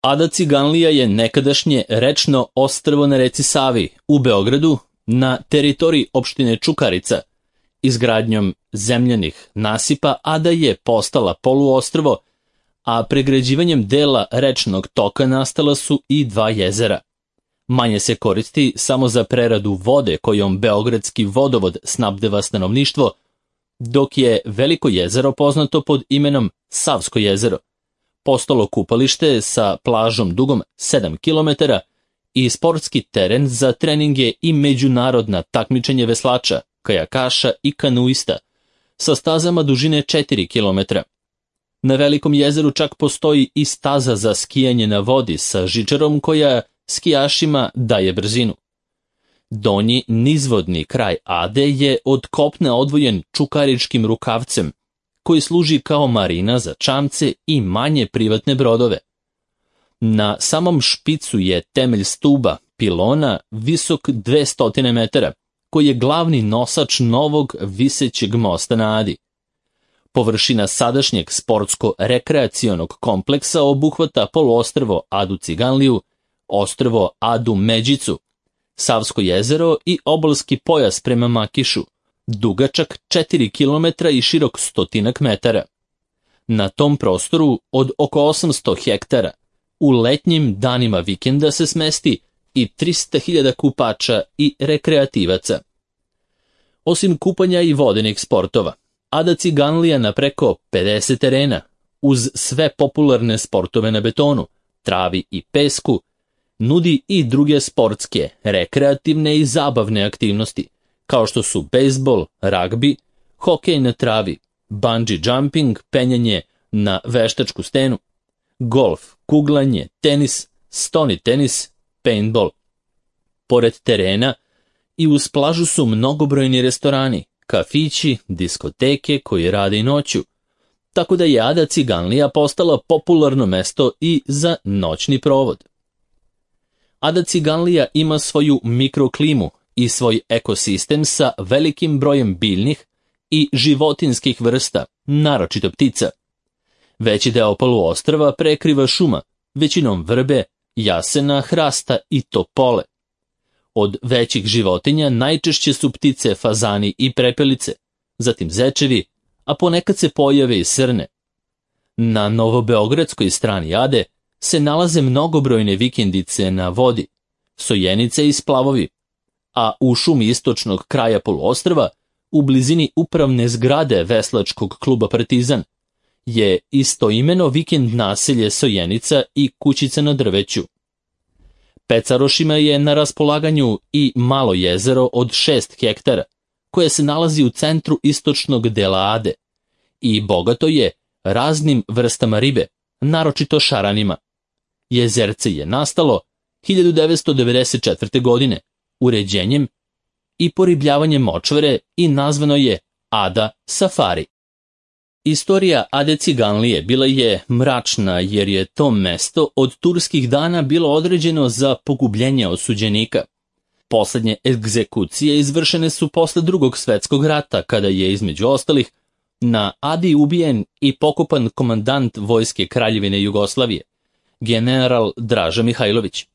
Ada Ciganlija je nekadašnje rečno ostrvo na reci Savi u Beogradu na teritoriji opštine Čukarica. Izgradnjom zemljanih nasipa Ada je postala poluostrvo, a pregrađivanjem dela rečnog toka nastala su i 2 jezera. Manje se koristi samo za preradu vode kojom Beogradski vodovod snabdeva stanovništvo, dok je Veliko jezero poznato pod imenom Savsko jezero. Postalo kupalište sa plažom dugom 7 km i sportski teren za treninge i međunarodna takmičenje veslača, kajakaša i kanuista sa stazama dužine 4 km. Na Velikom jezeru čak postoji i staza za skijanje na vodi sa žičarom koja skijašima daje brzinu. Donji nizvodni kraj Ade je od kopna odvojen Čukaričkim rukavcem, koji služi kao marina za čamce i manje privatne brodove. Na samom špicu je temelj stuba, pilona, visok 200 metara, koji je glavni nosač novog visećeg mosta na Adi. Površina sadašnjeg sportsko-rekreacionog kompleksa obuhvata poluostrvo Adu Ciganliju, ostrvo Adu Međicu, Savsko jezero i obalski pojas prema Makišu, dugačak 4 km i širok 100 metara. Na tom prostoru od oko 800 hektara u letnjim danima vikenda se smesti i 300.000 kupača i rekreativaca. Osim kupanja i vodenih sportova, Ada Ciganlija na preko 50 terena, uz sve popularne sportove na betonu, travi i pesku, nudi i druge sportske, rekreativne i zabavne aktivnosti, kao što su bejsbol, ragbi, hokej na travi, bungee jumping, penjanje na veštačku stenu, golf, kuglanje, tenis, stoni tenis, paintball. Pored terena i uz plažu su mnogobrojni restorani, kafići, diskoteke koji rade i noću, tako da je Ada Ciganlija postala popularno mesto i za noćni provod. Ada Ciganlija ima svoju mikroklimu i svoj ekosistem sa velikim brojem biljnih i životinskih vrsta, naročito ptica. Veći deo poluostrva prekriva šuma, većinom vrbe, jasena, hrasta i topole. Od većih životinja najčešće su ptice, fazani i prepelice, zatim zečevi, a ponekad se pojave i srne. Na novobeogradskoj strani Ade se nalaze mnogobrojne vikendice na vodi, sojenice i splavovi, a u šumi istočnog kraja poluostrva, u blizini upravne zgrade veslačkog kluba Partizan, je istoimeno vikend naselje Sojenica i kućica na drveću. Pecarošima je na raspolaganju i malo jezero od 6 hektara, koje se nalazi u centru istočnog dela Ade i bogato je raznim vrstama ribe, naročito šaranima. Jezerce je nastalo 1994. godine uređenjem i poribljavanjem močvare i nazvano je Ada Safari. Istorija Ade Ciganlije bila je mračna jer je to mesto od turskih dana bilo određeno za pogubljenje osuđenika. Poslednje egzekucije izvršene su posle Drugog svetskog rata, kada je između ostalih na Adi ubijen i pokopan komandant vojske Kraljevine Jugoslavije, general Draža Mihajlović.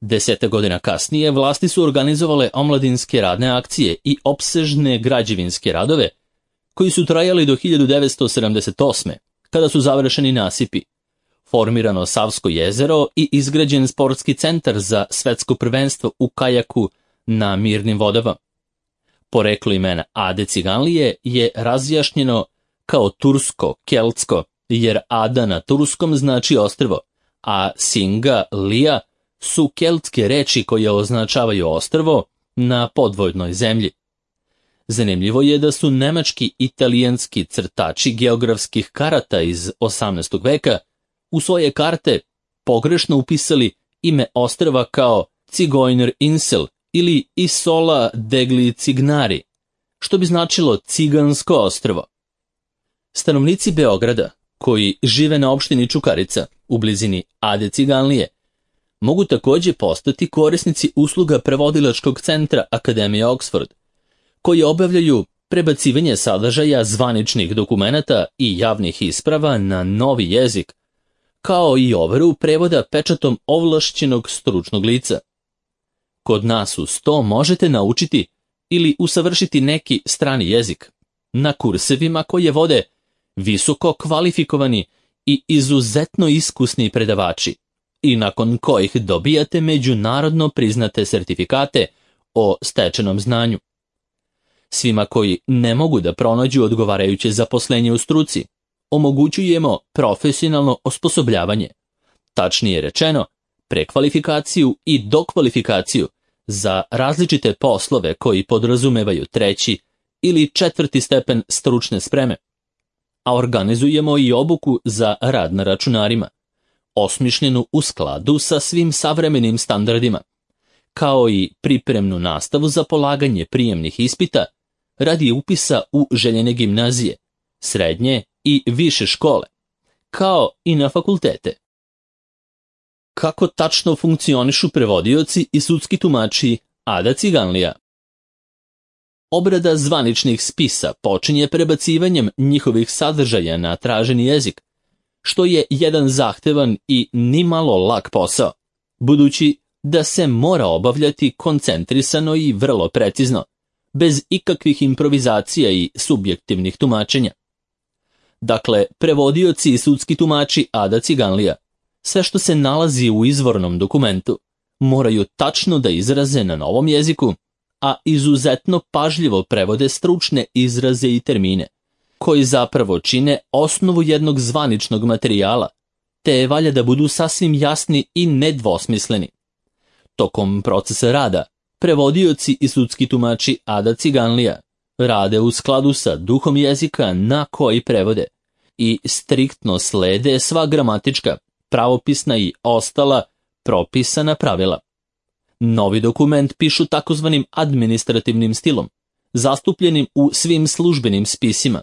10 godina kasnije vlasti su organizovale omladinske radne akcije i opsežne građevinske radove, koji su trajali do 1978. kada su završeni nasipi, formirano Savsko jezero i izgrađen sportski centar za svetsko prvenstvo u kajaku na mirnim vodama. Poreklo imena Ade Ciganlije je razjašnjeno kao tursko-keltsko, jer Ada na turskom znači ostrvo, a Singa, Lija su keltske reči koje označavaju ostrvo na podvodnoj zemlji. Zanimljivo je da su nemački italijanski crtači geografskih karata iz 18. veka u svoje karte pogrešno upisali ime ostrva kao Zigeuner Insel ili Isola degli Cignari, što bi značilo cigansko ostrvo. Stanovnici Beograda, koji žive na opštini Čukarica u blizini Ade Ciganlije, mogu također postati korisnici usluga prevodilačkog centra Akademije Oxford, koji obavljaju prebacivanje sadržaja zvaničnih dokumenata i javnih isprava na novi jezik, kao i overu prevoda pečatom ovlašćenog stručnog lica. Kod nas uz to možete naučiti ili usavršiti neki strani jezik na kursevima koje vode visoko kvalifikovani i izuzetno iskusni predavači i nakon kojih dobijate međunarodno priznate sertifikate o stečenom znanju. Svima koji ne mogu da pronađu odgovarajuće zaposlenje u struci, omogućujemo profesionalno osposobljavanje, tačnije rečeno, prekvalifikaciju i dokvalifikaciju za različite poslove koji podrazumevaju 3. ili 4. stepen stručne spreme, a organizujemo i obuku za rad na računarima, osmišljenu u skladu sa svim savremenim standardima, kao i pripremnu nastavu za polaganje prijemnih ispita radi upisa u željene gimnazije, srednje i više škole, kao i na fakultete. Kako tačno funkcionišu prevodioci i sudski tumači Ada Ciganlija? Obrada zvaničnih spisa počinje prebacivanjem njihovih sadržaja na traženi jezik, što je jedan zahtevan i nimalo lak posao, budući da se mora obavljati koncentrisano i vrlo precizno, bez ikakvih improvizacija i subjektivnih tumačenja. Dakle, prevodioci i sudski tumači Ada Ciganlija, sve što se nalazi u izvornom dokumentu, moraju tačno da izraze na novom jeziku, a izuzetno pažljivo prevode stručne izraze i termine, koji zapravo čine osnovu jednog zvaničnog materijala, te je valja da budu sasvim jasni i nedvosmisleni. Tokom procesa rada, prevodioci i sudski tumači Ada Ciganlija rade u skladu sa duhom jezika na koji prevode i striktno slede sva gramatička, pravopisna i ostala propisana pravila. Novi dokument pišu takozvanim administrativnim stilom, zastupljenim u svim službenim spisima,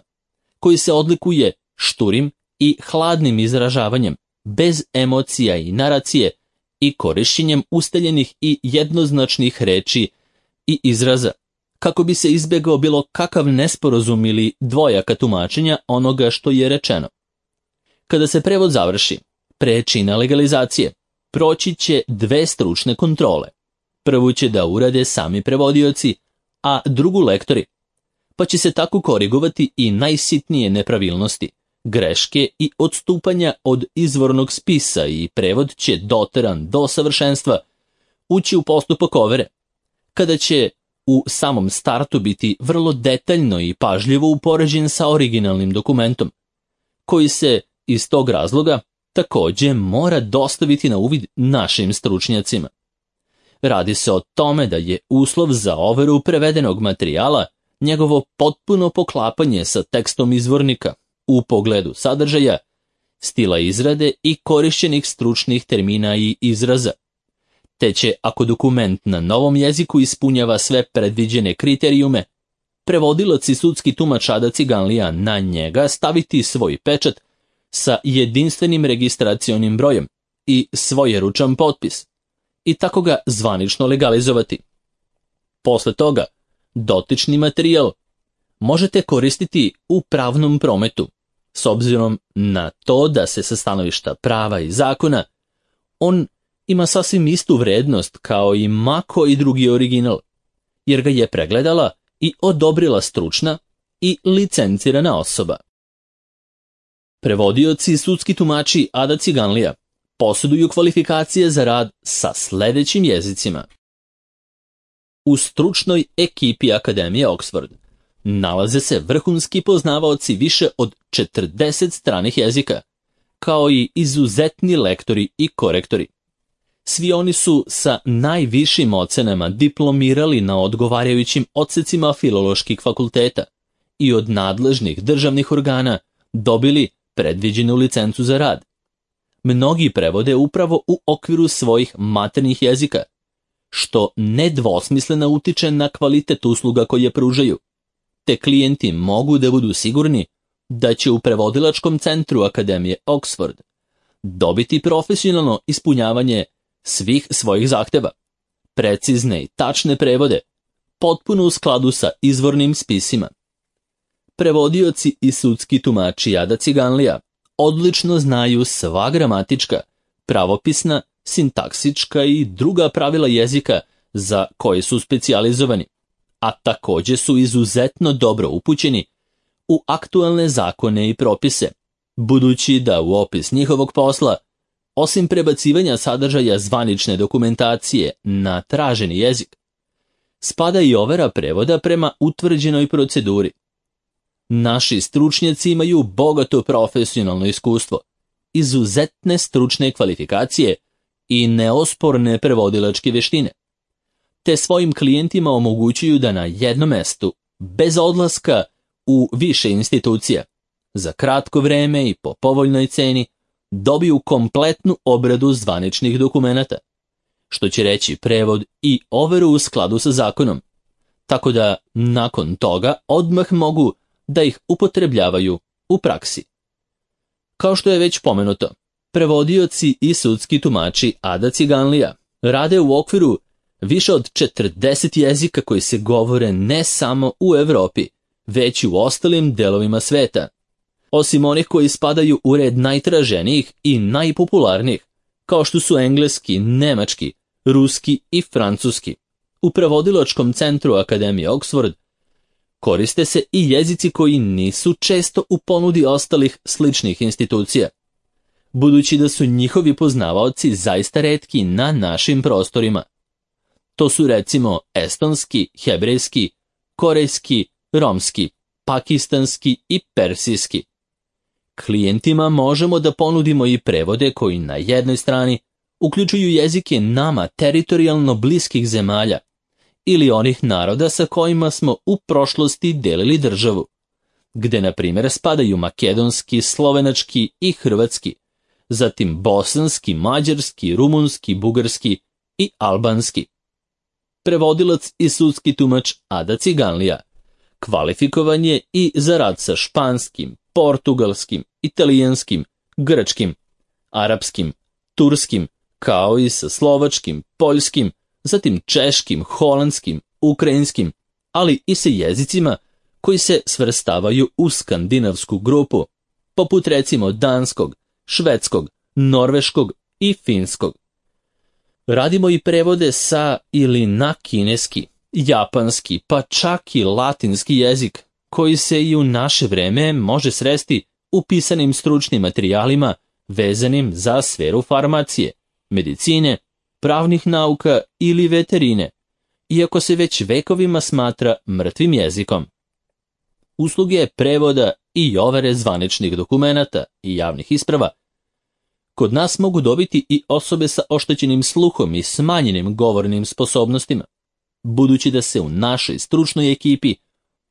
koji se odlikuje šturim i hladnim izražavanjem, bez emocija i naracije i korišćenjem ustaljenih i jednoznačnih reči i izraza, kako bi se izbjegao bilo kakav nesporazum ili dvojaka tumačenja onoga što je rečeno. Kada se prevod završi, pre čina legalizacije, proći će 2 stručne kontrole. Prvu će da urade sami prevodioci, a drugu lektori, pa će se tako korigovati i najsitnije nepravilnosti, greške i odstupanja od izvornog spisa i prevod će doteran do savršenstva ući u postupak overe, kada će u samom startu biti vrlo detaljno i pažljivo upoređen sa originalnim dokumentom, koji se iz tog razloga također mora dostaviti na uvid našim stručnjacima. Radi se o tome da je uslov za overu prevedenog materijala njegovo potpuno poklapanje sa tekstom izvornika u pogledu sadržaja, stila izrade i korišćenih stručnih termina i izraza. Te će, ako dokument na novom jeziku ispunjava sve predviđene kriterijume, prevodilac i sudski tumač Ada Ciganlija na njega staviti svoj pečat sa jedinstvenim registracionim brojem i svojeručan potpis i tako ga zvanično legalizovati. Posle toga, dotični materijal možete koristiti u pravnom prometu, s obzirom na to da se sa stanovišta prava i zakona on ima sasvim istu vrednost kao i ma koji drugi original, jer ga je pregledala i odobrila stručna i licencirana osoba. Prevodioci i sudski tumači Ada Ciganlija posjeduju kvalifikacije za rad sa sljedećim jezicima. U stručnoj ekipi Akademije Oxford nalaze se vrhunski poznavaoci više od 40 stranih jezika, kao i izuzetni lektori i korektori. Svi oni su sa najvišim ocenama diplomirali na odgovarajućim odsecima filoloških fakulteta i od nadležnih državnih organa dobili predviđenu licencu za rad. Mnogi prevode upravo u okviru svojih maternjih jezika, što nedvosmisleno utiče na kvalitet usluga koje pružaju, te klijenti mogu da budu sigurni da će u prevodilačkom centru Akademije Oxford dobiti profesionalno ispunjavanje svih svojih zahteva, precizne i tačne prevode, potpuno u skladu sa izvornim spisima. Prevodioci i sudski tumači Ada Ciganlija odlično znaju sva gramatička, pravopisna, sintaksička i druga pravila jezika za koje su specijalizovani, a također su izuzetno dobro upućeni u aktualne zakone i propise, budući da u opis njihovog posla, osim prebacivanja sadržaja zvanične dokumentacije na traženi jezik, spada i overa prevoda prema utvrđenoj proceduri. Naši stručnjaci imaju bogato profesionalno iskustvo, izuzetne stručne kvalifikacije i neosporne prevodilačke vještine, te svojim klijentima omogućuju da na jednom mestu, bez odlaska u više institucija, za kratko vreme i po povoljnoj ceni, dobiju kompletnu obradu zvaničnih dokumenata, što će reći prevod i overu u skladu sa zakonom, tako da nakon toga odmah mogu da ih upotrebljavaju u praksi. Kao što je već pomenuto, prevodioci i sudski tumači Ada Ciganlija rade u okviru više od 40 jezika koji se govore ne samo u Europi, već i u ostalim delovima sveta. Osim onih koji spadaju u red najtraženijih i najpopularnijih, kao što su engleski, nemački, ruski i francuski. U prevodilačkom centru Akademije Oxford koriste se i jezici koji nisu često u ponudi ostalih sličnih institucija, budući da su njihovi poznavaoci zaista retki na našim prostorima. To su recimo estonski, hebrejski, korejski, romski, pakistanski i persijski. Klijentima možemo da ponudimo i prevode koji na jednoj strani uključuju jezike nama teritorijalno bliskih zemalja ili onih naroda sa kojima smo u prošlosti delili državu, gde na primjer spadaju makedonski, slovenački i hrvatski, zatim bosanski, mađarski, rumunski, bugarski i albanski. Prevodilac i sudski tumač Ada Ciganlija kvalifikovan je i za rad sa španskim, portugalskim, italijanskim, grčkim, arapskim, turskim, kao i sa slovačkim, poljskim, zatim češkim, holandskim, ukrajinskim, ali i sa jezicima koji se svrstavaju u skandinavsku grupu, poput recimo danskog, švedskog, norveškog i finskog. Radimo i prevode sa ili na kineski, japanski, pa čak i latinski jezik, koji se i u naše vreme može sresti u pisanim stručnim materijalima vezanim za sferu farmacije, medicine, pravnih nauka ili veterine, iako se već vekovima smatra mrtvim jezikom. Usluge prevoda i overe zvaničnih dokumenata i javnih isprava kod nas mogu dobiti i osobe sa oštećenim sluhom i smanjenim govornim sposobnostima, budući da se u našoj stručnoj ekipi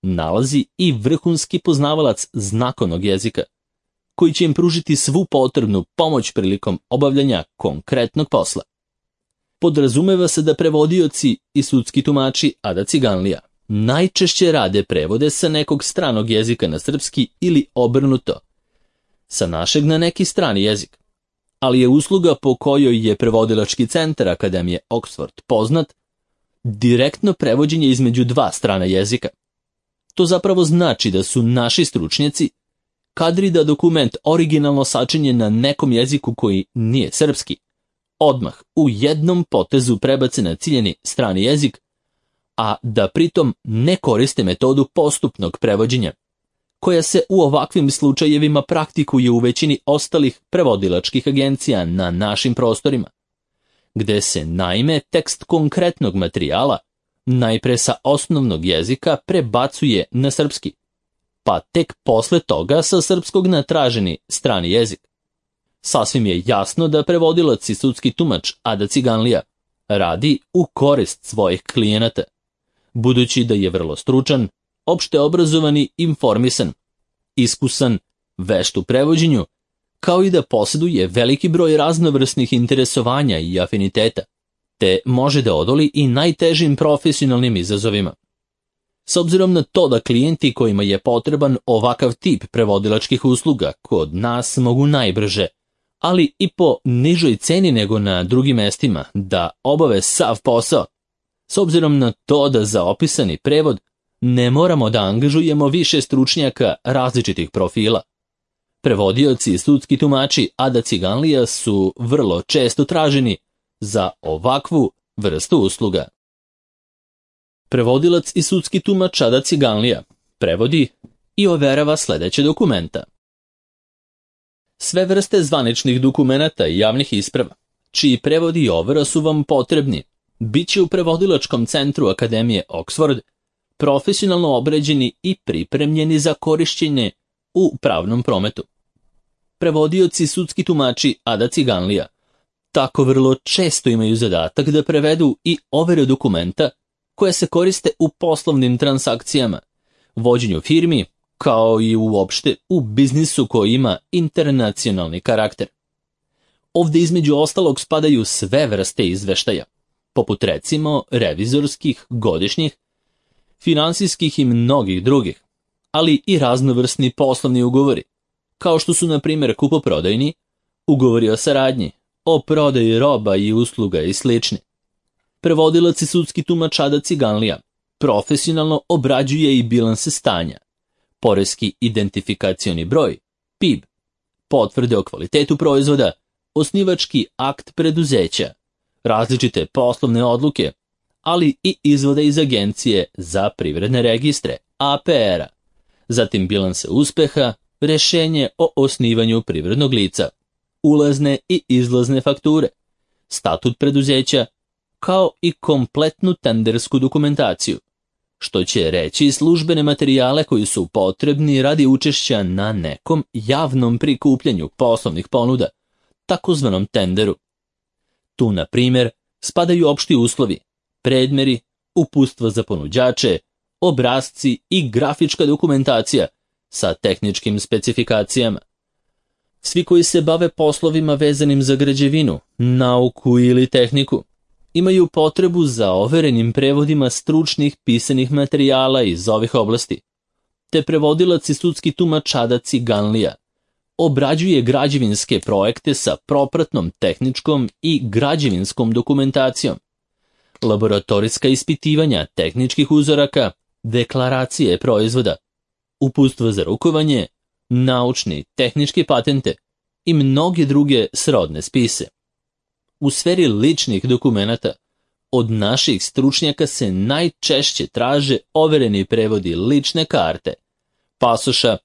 nalazi i vrhunski poznavalac znakovnog jezika, koji će im pružiti svu potrebnu pomoć prilikom obavljanja konkretnog posla. Podrazumeva se da prevodioci i sudski tumači Ada Ciganlija najčešće rade prevode sa nekog stranog jezika na srpski ili obrnuto, sa našeg na neki strani jezik, ali je usluga po kojoj je prevodilački centar Akademije Oxford poznat direktno prevođenje između dva strana jezika. To zapravo znači da su naši stručnjaci kadri da dokument originalno sačinjen na nekom jeziku koji nije srpski, odmah u jednom potezu prebace na ciljeni strani jezik, a da pritom ne koriste metodu postupnog prevođenja, koja se u ovakvim slučajevima praktikuje u većini ostalih prevodilačkih agencija na našim prostorima, gde se naime tekst konkretnog materijala najpre sa osnovnog jezika prebacuje na srpski, pa tek posle toga sa srpskog na traženi strani jezik. Sasvim je jasno da prevodilac i sudski tumač Ada Ciganlija radi u korist svojih klijenata, budući da je vrlo stručan, opšte obrazovan i informisan, iskusan, vešt u prevođenju, kao i da posjeduje veliki broj raznovrsnih interesovanja i afiniteta, te može da odoli i najtežim profesionalnim izazovima. S obzirom na to da klijenti kojima je potreban ovakav tip prevodilačkih usluga kod nas mogu najbrže, ali i po nižoj ceni nego na drugim mestima, da obave sav posao, s obzirom na to da za opisani prevod ne moramo da angažujemo više stručnjaka različitih profila. Prevodioci i sudski tumači Ada Ciganlija su vrlo često traženi za ovakvu vrstu usluga. Prevodilac i sudski tumač Ada Ciganlija prevodi i overava sledeće dokumenta. Sve vrste zvaničnih dokumenata i javnih isprava, čiji prevodi i overa su vam potrebni, bit će u prevodilačkom centru Akademije Oxford profesionalno obređeni i pripremljeni za korišćenje u pravnom prometu. Prevodioci i sudski tumači Ada Ciganlija tako vrlo često imaju zadatak da prevedu i overe dokumenta koje se koriste u poslovnim transakcijama, vođenju firmi, kao i uopšte u biznisu koji ima internacionalni karakter. Ovde između ostalog spadaju sve vrste izveštaja, poput recimo revizorskih, godišnjih, finansijskih i mnogih drugih, ali i raznovrsni poslovni ugovori, kao što su na primjer kupoprodajni, ugovori o saradnji, o prodaji roba i usluga i sl. Prevodilac i sudski tumač Ada Ciganlija profesionalno obrađuje i bilanse stanja, poreski identifikacioni broj, PIB, potvrde o kvalitetu proizvoda, osnivački akt preduzeća, različite poslovne odluke, ali i izvode iz Agencije za privredne registre, APR-a, zatim bilanse uspeha, rešenje o osnivanju privrednog lica, ulazne i izlazne fakture, statut preduzeća, kao i kompletnu tendersku dokumentaciju, što će reći službene materijale koji su potrebni radi učešća na nekom javnom prikupljanju poslovnih ponuda, takozvanom tenderu. Tu, na primjer, spadaju opšti uslovi, predmeri, uputstva za ponuđače, obrasci i grafička dokumentacija sa tehničkim specifikacijama. Svi koji se bave poslovima vezanim za građevinu, nauku ili tehniku, imaju potrebu za overenim prevodima stručnih pisanih materijala iz ovih oblasti, te prevodilac i sudski tumač Ada Ciganlija obrađuje građevinske projekte sa propratnom tehničkom i građevinskom dokumentacijom, laboratorijska ispitivanja tehničkih uzoraka, deklaracije proizvoda, uputstva za rukovanje, naučni, tehničke patente i mnoge druge srodne spise. U sferi ličnih dokumenata od naših stručnjaka se najčešće traže overeni prevodi lične karte, pasoša,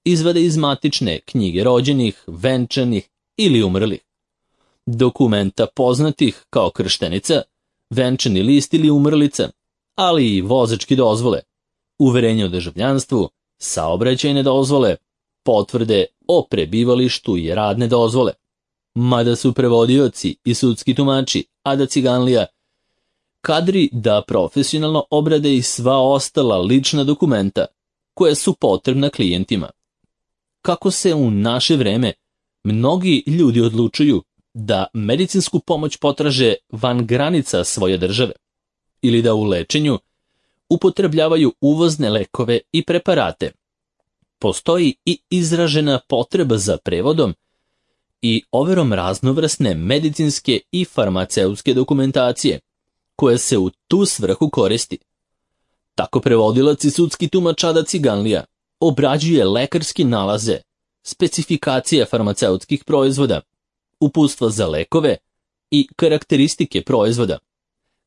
izvade iz matične knjige rođenih, venčanih ili umrlih, dokumenta poznatih kao krštenica, venčani list ili umrlica, ali i vozačke dozvole, uverenje o državljanstvu, saobraćajne dozvole, potvrde o prebivalištu i radne dozvole. Mada su prevodioci i sudski tumači Ada Ciganlija kadri da profesionalno obrade i sva ostala lična dokumenta koja su potrebna klijentima. Kako se u naše vreme mnogi ljudi odlučuju da medicinsku pomoć potraže van granica svoje države ili da u lečenju upotrebljavaju uvozne lekove i preparate, postoji i izražena potreba za prevodom i overom raznovrsne medicinske i farmaceutske dokumentacije, koja se u tu svrhu koristi. Tako prevodilac i sudski tumač Ada Ciganlija obrađuje lekarske nalaze, specifikacije farmaceutskih proizvoda, uputstva za lekove i karakteristike proizvoda,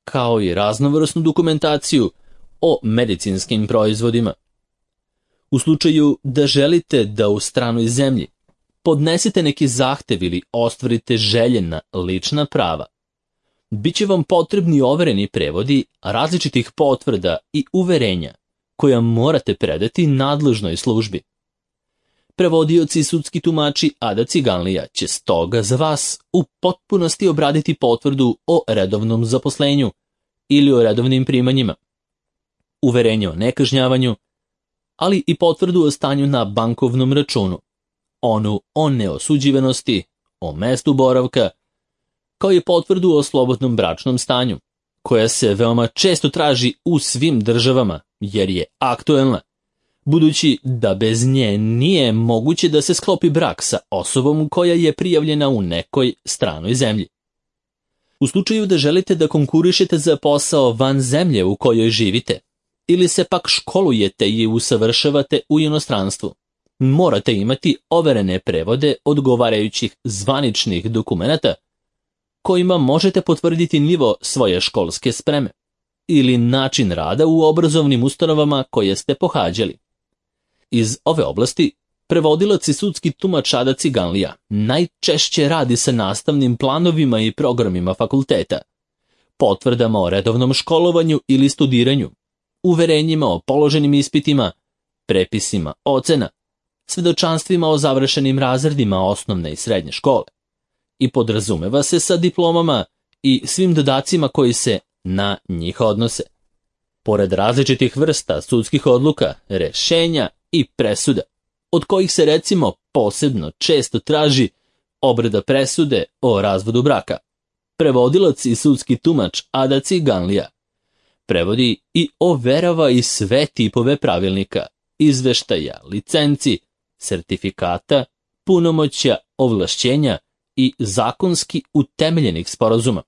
kao i raznovrsnu dokumentaciju o medicinskim proizvodima. U slučaju da želite da u stranoj zemlji podnesete neki zahtev ili ostvarite željena lična prava, biće vam potrebni overeni prevodi različitih potvrda i uverenja koja morate predati nadležnoj službi. Prevodioci i sudski tumači Ada Ciganlija će stoga za vas u potpunosti obraditi potvrdu o redovnom zaposlenju ili o redovnim primanjima, uverenje o nekažnjavanju, ali i potvrdu o stanju na bankovnom računu, onu o neosuđivanosti, o mestu boravka, kao i potvrdu o slobodnom bračnom stanju, koja se veoma često traži u svim državama jer je aktuelna, budući da bez nje nije moguće da se sklopi brak sa osobom koja je prijavljena u nekoj stranoj zemlji. U slučaju da želite da konkurišete za posao van zemlje u kojoj živite, ili se pak školujete i usavršavate u inostranstvu, morate imati overene prevode odgovarajućih zvaničnih dokumenata kojima možete potvrditi nivo svoje školske spreme ili način rada u obrazovnim ustanovama koje ste pohađali. Iz ove oblasti prevodilac i sudski tumač Ada Ciganlija najčešće radi sa nastavnim planovima i programima fakulteta, potvrdama o redovnom školovanju ili studiranju, uverenjima o položenim ispitima, prepisima ocena, svedočanstvima o završenim razredima osnovne i srednje škole i podrazumeva se sa diplomama i svim dodacima koji se na njih odnose. Pored različitih vrsta sudskih odluka, rešenja i presuda, od kojih se recimo posebno često traži obrada presude o razvodu braka, prevodilac i sudski tumač Ada Ciganlija prevodi i overava i sve tipove pravilnika, izveštaja, licenci, sertifikata, punomoćja, ovlašćenja i zakonski utemeljenih sporazuma,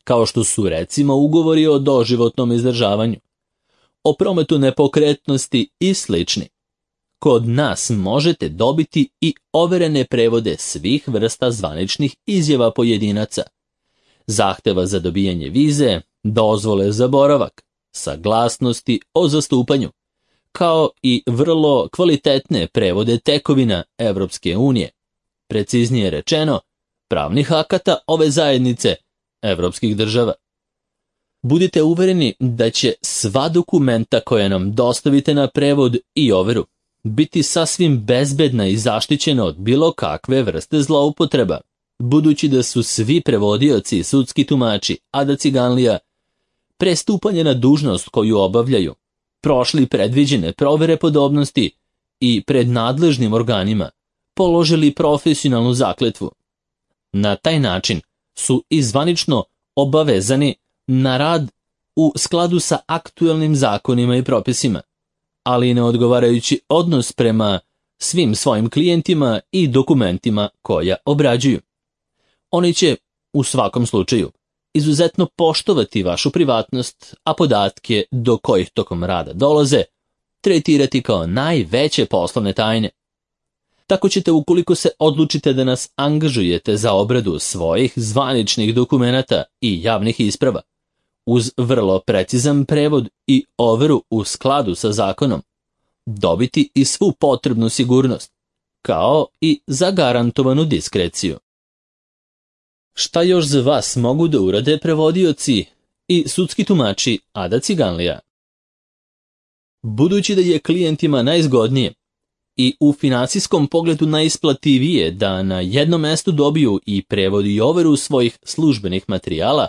kao što su recimo ugovori o doživotnom izdržavanju, o prometu nepokretnosti i slični. Kod nas možete dobiti i overene prevode svih vrsta zvaničnih izjava pojedinaca, zahteva za dobijanje vize, dozvole za boravak, saglasnosti o zastupanju, kao i vrlo kvalitetne prevode tekovina Evropske unije, preciznije rečeno, pravnih akata ove zajednice evropskih država. Budite uvereni da će sva dokumenta koja nam dostavite na prevod i overu biti sasvim bezbedna i zaštićena od bilo kakve vrste zloupotreba, budući da su svi prevodioci i sudski tumači Ada Ciganlija pre stupanja na dužnost koju obavljaju prošli predviđene provere podobnosti i pred nadležnim organima položili profesionalnu zakletvu. Na taj način su i zvanično obavezani na rad u skladu sa aktuelnim zakonima i propisima, ali i na odgovarajući odnos prema svim svojim klijentima i dokumentima koja obrađuju. Oni će, u svakom slučaju, izuzetno poštovati vašu privatnost, a podatke do kojih tokom rada dolaze tretirati kao najveće poslovne tajne. Tako ćete, ukoliko se odlučite da nas angažujete za obradu svojih zvaničnih dokumenata i javnih isprava, uz vrlo precizan prevod i overu u skladu sa zakonom, dobiti i svu potrebnu sigurnost, kao i zagarantovanu diskreciju. Šta još za vas mogu da urade prevodioci i sudski tumači Ada Ciganlija? Budući da je klijentima najzgodnije i u finansijskom pogledu najisplativije da na jednom mestu dobiju i prevod i overu svojih službenih materijala,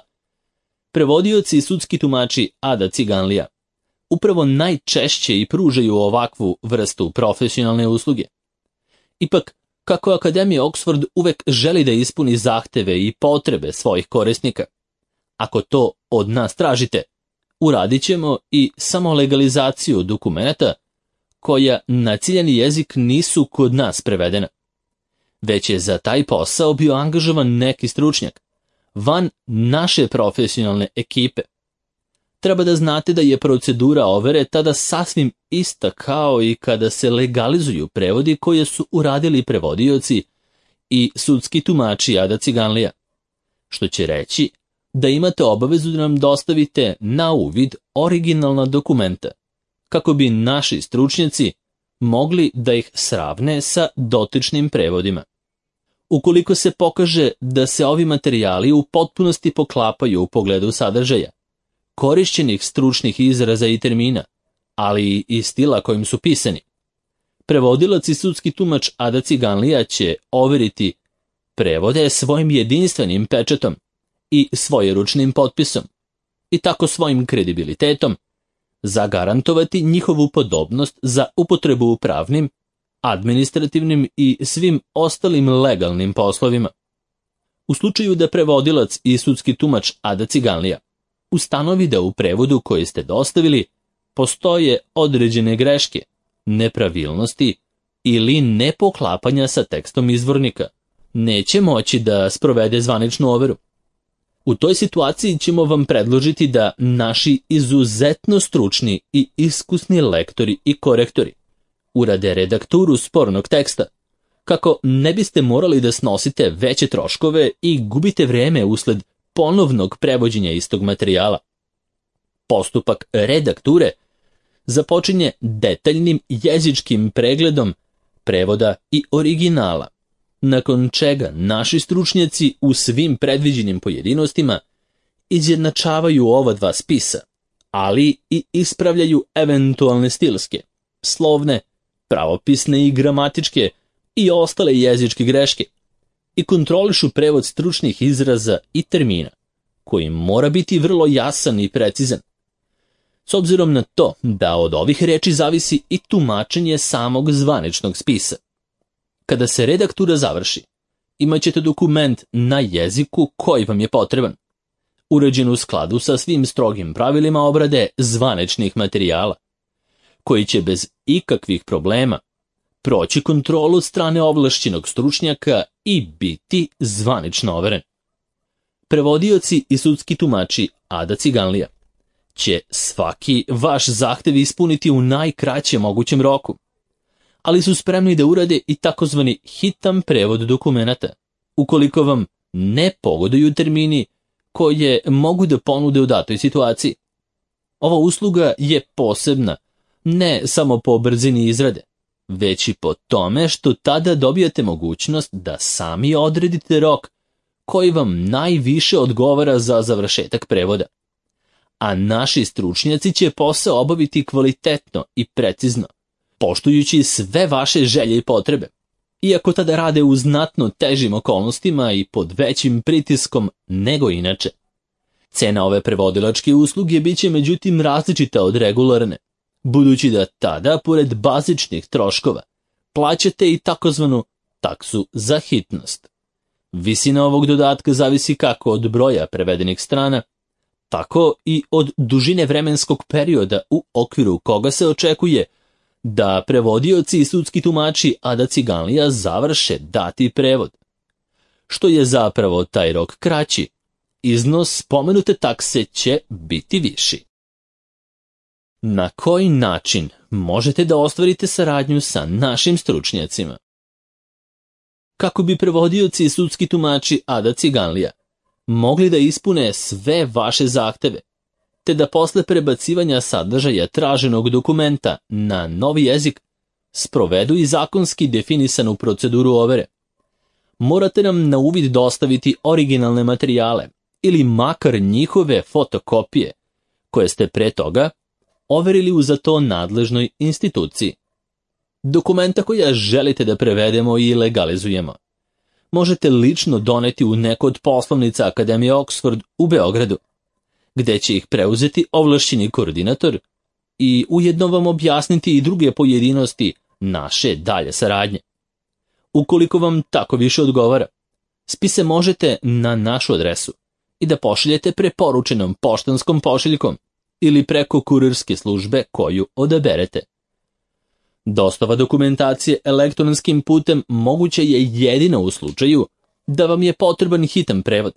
prevodioci i sudski tumači Ada Ciganlija upravo najčešće i pružaju ovakvu vrstu profesionalne usluge. Ipak, kako Akademija Oxford uvek želi da ispuni zahteve i potrebe svojih korisnika, ako to od nas tražite, uradit ćemo i samo legalizaciju dokumenata koja na ciljani jezik nisu kod nas prevedena. Već je za taj posao bio angažovan neki stručnjak, van naše profesionalne ekipe. Treba da znate da je procedura overe tada sasvim ista kao i kada se legalizuju prevodi koje su uradili prevodioci i sudski tumači Ada Ciganlija, što će reći da imate obavezu da nam dostavite na uvid originalna dokumenta, kako bi naši stručnjaci mogli da ih sravne sa dotičnim prevodima. Ukoliko se pokaže da se ovi materijali u potpunosti poklapaju u pogledu sadržaja, korišćenih stručnih izraza i termina, ali i stila kojim su pisani, prevodilac i sudski tumač Ada Ciganlija će overiti prevode svojim jedinstvenim pečatom i svojeručnim potpisom i tako svojim kredibilitetom zagarantovati njihovu podobnost za upotrebu u pravnim, administrativnim i svim ostalim legalnim poslovima. U slučaju da prevodilac i sudski tumač Ada Ciganlija ustanovi da u prevodu koji ste dostavili postoje određene greške, nepravilnosti ili nepoklapanja sa tekstom izvornika, neće moći da sprovede zvaničnu overu. U toj situaciji ćemo vam predložiti da naši izuzetno stručni i iskusni lektori i korektori urade redakturu spornog teksta, kako ne biste morali da snosite veće troškove i gubite vreme usled ponovnog prevođenja istog materijala. Postupak redakture započinje detaljnim jezičkim pregledom prevoda i originala, nakon čega naši stručnjaci u svim predviđenim pojedinostima izjednačavaju ova dva spisa, ali i ispravljaju eventualne stilske, slovne, pravopisne i gramatičke i ostale jezičke greške i kontrolišu prevod stručnih izraza i termina, koji mora biti vrlo jasan i precizan. S obzirom na to da od ovih reči zavisi i tumačenje samog zvaničnog spisa. Kada se redaktura završi, imat ćete dokument na jeziku koji vam je potreban, uređen u skladu sa svim strogim pravilima obrade zvaničnih materijala, koji će bez ikakvih problema proći kontrolu od strane ovlašćenog stručnjaka i biti zvanično overen. Prevodioci i sudski tumači Ada Ciganlija će svaki vaš zahtev ispuniti u najkraćem mogućem roku, ali su spremni da urade i takozvani hitan prevod dokumenata, ukoliko vam ne pogoduju termini koje mogu da ponude u datoj situaciji. Ova usluga je posebna, ne samo po brzini izrade, već i po tome što tada dobijate mogućnost da sami odredite rok koji vam najviše odgovara za završetak prevoda. A naši stručnjaci će posao obaviti kvalitetno i precizno, poštujući sve vaše želje i potrebe, iako tada rade u znatno težim okolnostima i pod većim pritiskom nego inače. Cena ove prevodilačke usluge bit će međutim različita od regularne, budući da tada, pored bazičnih troškova, plaćate i takozvanu taksu za hitnost. Visina ovog dodatka zavisi kako od broja prevedenih strana, tako i od dužine vremenskog perioda u okviru koga se očekuje da prevodioci i sudski tumači Ada Ciganlija završe dati prevod. Što je zapravo taj rok kraći, iznos spomenute takse će biti viši. Na koji način možete da ostvarite saradnju sa našim stručnjacima? Kako bi prevodioci i sudski tumači Ada Ciganlija mogli da ispune sve vaše zahteve, te da posle prebacivanja sadržaja traženog dokumenta na novi jezik sprovedu i zakonski definisanu proceduru overe, morate nam na uvid dostaviti originalne materijale ili makar njihove fotokopije koje ste pre toga overili u za to nadležnoj instituciji. Dokumenta koja želite da prevedemo i legalizujemo možete lično doneti u neko od poslovnica Akademije Oxford u Beogradu, gde će ih preuzeti ovlašćeni koordinator i ujedno vam objasniti i druge pojedinosti naše dalje saradnje. Ukoliko vam tako više odgovara, spise možete na našu adresu i da pošaljete preporučenom poštanskom pošiljkom ili preko kurirske službe koju odaberete. Dostava dokumentacije elektronskim putem moguće je jedino u slučaju da vam je potreban hitan prevod,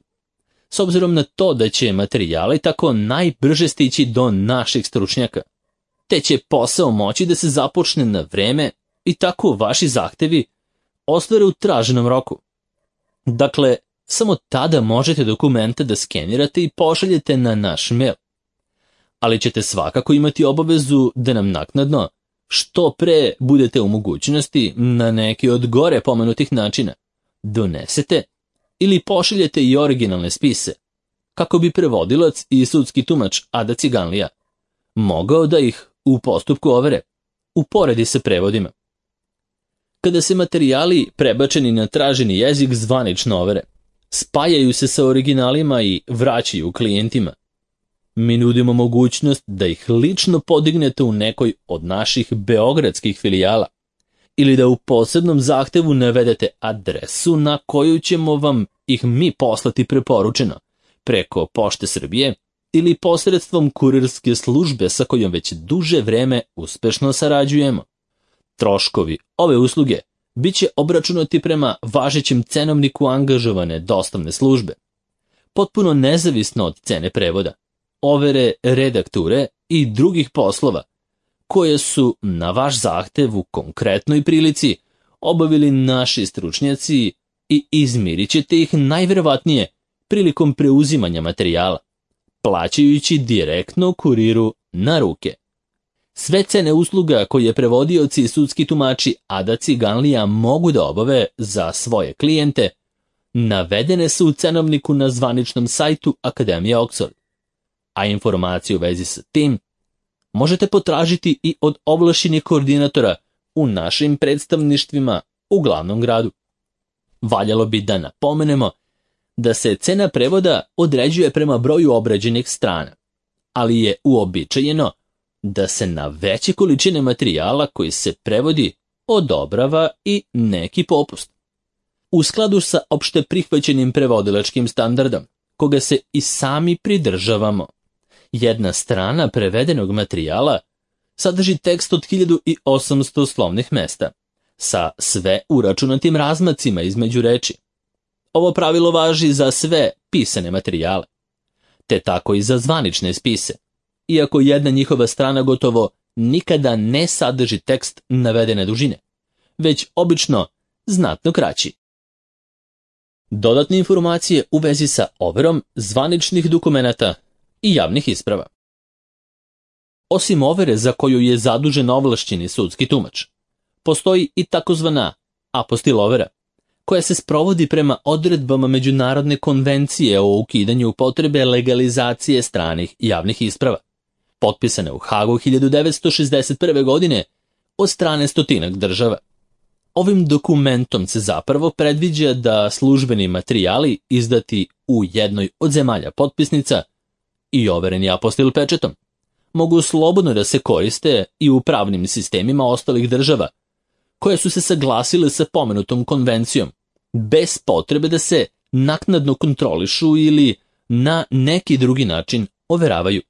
s obzirom na to da će materijali tako najbrže stići do naših stručnjaka, te će posao moći da se započne na vreme i tako vaši zahtevi ostvare u traženom roku. Dakle, samo tada možete dokumente da skenirate i pošaljete na naš mail. Ali ćete svakako imati obavezu da nam naknadno, što pre budete u mogućnosti na neki od gore pomenutih načina, donesete ili pošaljete i originalne spise, kako bi prevodilac i sudski tumač Ada Ciganlija mogao da ih u postupku overe uporedi sa prevodima. Kada se materijali prebačeni na traženi jezik zvanično overe, spajaju se sa originalima i vraćaju klijentima. Mi nudimo mogućnost da ih lično podignete u nekoj od naših beogradskih filijala ili da u posebnom zahtevu navedete adresu na koju ćemo vam ih mi poslati preporučeno preko Pošte Srbije ili posredstvom kurirske službe sa kojom već duže vreme uspešno sarađujemo. Troškovi ove usluge bit će obračunati prema važećem cenovniku angažovane dostavne službe, potpuno nezavisno od cene prevoda, overe redakture i drugih poslova koje su na vaš zahtev u konkretnoj prilici obavili naši stručnjaci i izmirit ćete ih najverovatnije prilikom preuzimanja materijala, plaćajući direktno kuriru na ruke. Sve cene usluga koje prevodioci i sudski tumači Ada Ciganlija mogu da obave za svoje klijente navedene su u cenovniku na zvaničnom sajtu Akademije Oxford, a informacije u vezi sa tim možete potražiti i od ovlašćenih koordinatora u našim predstavništvima u glavnom gradu. Valjalo bi da napomenemo da se cena prevoda određuje prema broju obrađenih strana, ali je uobičajeno da se na veće količine materijala koji se prevodi odobrava i neki popust. U skladu sa opšte prihvaćenim prevodilačkim standardom, koga se i sami pridržavamo, jedna strana prevedenog materijala sadrži tekst od 1800 slovnih mesta, sa sve uračunatim razmacima između reči. Ovo pravilo važi za sve pisane materijale, te tako i za zvanične spise, iako jedna njihova strana gotovo nikada ne sadrži tekst navedene dužine, već obično znatno kraći. Dodatne informacije u vezi sa overom zvaničnih dokumenata i javnih isprava. Osim overe za koju je zadužen ovlašćeni sudski tumač, postoji i takozvana apostil overa, koja se sprovodi prema odredbama Međunarodne konvencije o ukidanju potrebe legalizacije stranih javnih isprava, potpisane u Hagu 1961. godine od strane stotinak država. Ovim dokumentom se zapravo predviđa da službeni materijali izdati u jednoj od zemalja potpisnica i overeni apostil pečetom mogu slobodno da se koriste i u pravnim sistemima ostalih država koje su se saglasile sa pomenutom konvencijom, bez potrebe da se naknadno kontrolišu ili na neki drugi način overavaju.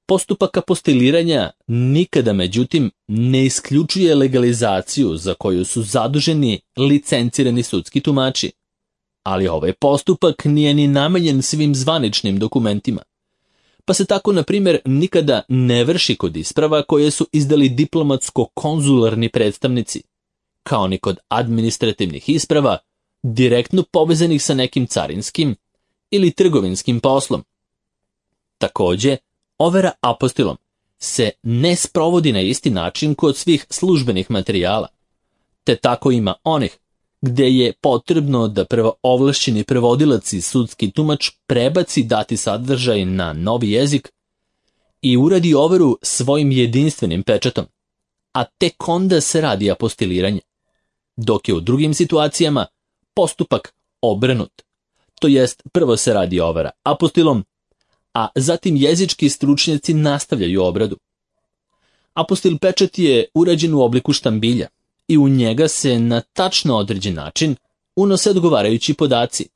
Postupak apostiliranja nikada, međutim, ne isključuje legalizaciju za koju su zaduženi licencirani sudski tumači, ali ovaj postupak nije ni namenjen svim zvaničnim dokumentima, pa se tako, na primjer, nikada ne vrši kod isprava koje su izdali diplomatsko-konzularni predstavnici, kao ni kod administrativnih isprava direktno povezanih sa nekim carinskim ili trgovinskim poslom. Takođe, overa apostilom se ne sprovodi na isti način kod svih službenih materijala, te tako ima onih gde je potrebno da prvo ovlašćeni prevodilac i sudski tumač prebaci dati sadržaj na novi jezik i uradi overu svojim jedinstvenim pečatom, a tek onda se radi apostiliranje, dok je u drugim situacijama postupak obrnut, to jest prvo se radi overa apostilom, a zatim jezički stručnjaci nastavljaju obradu. Apostil pečat je urađen u obliku štambilja i u njega se na tačno određen način unose odgovarajući podaci,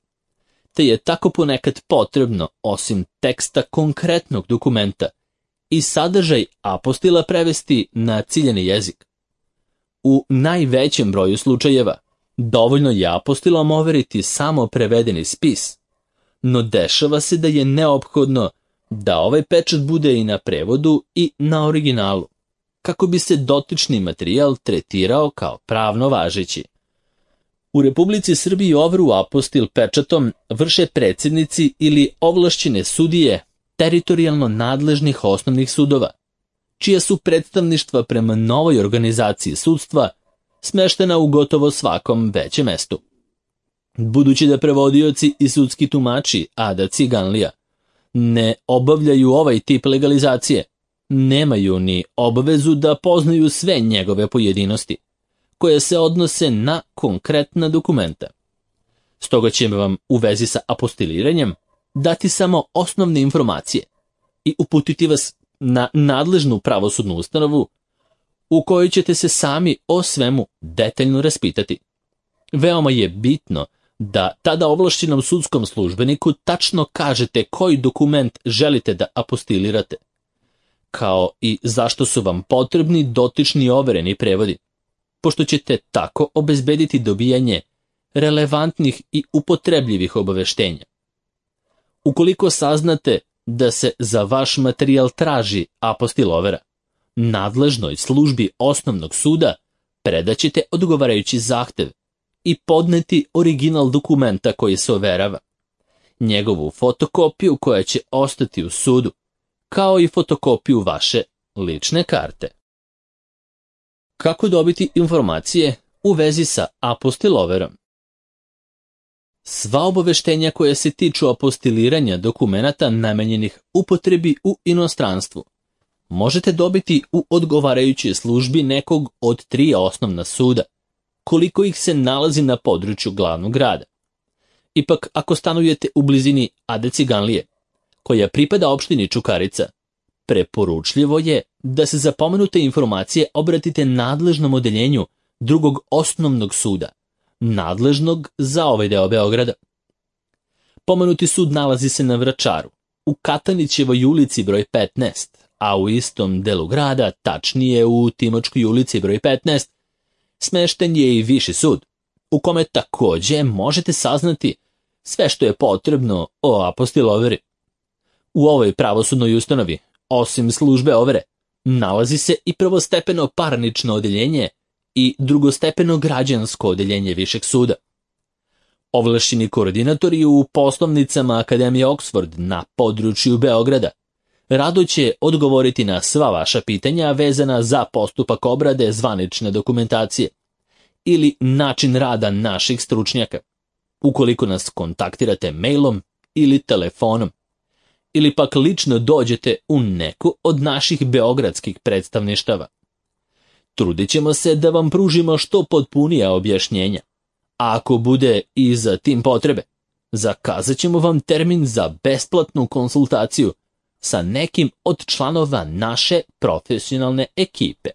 te je tako ponekad potrebno, osim teksta konkretnog dokumenta, i sadržaj apostila prevesti na ciljani jezik. U najvećem broju slučajeva dovoljno je apostilom overiti samo prevedeni spis, no dešava se da je neophodno da ovaj pečat bude i na prevodu i na originalu, kako bi se dotični materijal tretirao kao pravno važeći. U Republici Srbiji overu apostil pečatom vrše predsjednici ili ovlašćene sudije teritorijalno nadležnih osnovnih sudova, čija su predstavništva prema novoj organizaciji sudstva smeštena u gotovo svakom većem mestu. Budući da prevodioci i sudski tumači Ada Ciganlija ne obavljaju ovaj tip legalizacije, nemaju ni obavezu da poznaju sve njegove pojedinosti, koje se odnose na konkretna dokumenta. Stoga ćemo vam u vezi sa apostiliranjem dati samo osnovne informacije i uputiti vas na nadležnu pravosudnu ustanovu u kojoj ćete se sami o svemu detaljno raspitati. Veoma je bitno da tada ovlašćenom sudskom službeniku tačno kažete koji dokument želite da apostilirate, kao i zašto su vam potrebni dotični overeni prevodi, pošto ćete tako obezbediti dobijanje relevantnih i upotrebljivih obaveštenja. Ukoliko saznate da se za vaš materijal traži apostil overa, nadležnoj službi osnovnog suda predaćete odgovarajući zahtev i podneti original dokumenta koji se overava, njegovu fotokopiju koja će ostati u sudu, kao i fotokopiju vaše lične karte. Kako dobiti informacije u vezi sa apostiloverom? Sva obaveštenja koja se tiču apostiliranja dokumenata namenjenih upotrebi u inostranstvu možete dobiti u odgovarajućoj službi nekog od 3 osnovna suda, koliko ih se nalazi na području glavnog grada. Ipak, ako stanujete u blizini Ade Ciganlije, koja pripada opštini Čukarica, preporučljivo je da se za pomenute informacije obratite nadležnom odeljenju drugog osnovnog suda, nadležnog za ovaj deo Beograda. Pomenuti sud nalazi se na Vračaru, u Katanićevoj ulici broj 15, a u istom delu grada, tačnije u Timočkoj ulici broj 15, smešten je i Viši sud, u kome takođe možete saznati sve što je potrebno o apostiloveri. U ovoj pravosudnoj ustanovi, osim službe overe, nalazi se i prvostepeno parnično odeljenje i drugostepeno građansko odeljenje Višeg suda. Ovlašćeni koordinatori u poslovnicama Akademije Oxford na području Beograda rado će odgovoriti na sva vaša pitanja vezana za postupak obrade zvanične dokumentacije ili način rada naših stručnjaka, ukoliko nas kontaktirate mailom ili telefonom, ili pak lično dođete u neku od naših beogradskih predstavništava. Trudit ćemo se da vam pružimo što potpunija objašnjenja, a ako bude i za tim potrebe, zakazat ćemo vam termin za besplatnu konsultaciju sa nekim od članova naše profesionalne ekipe.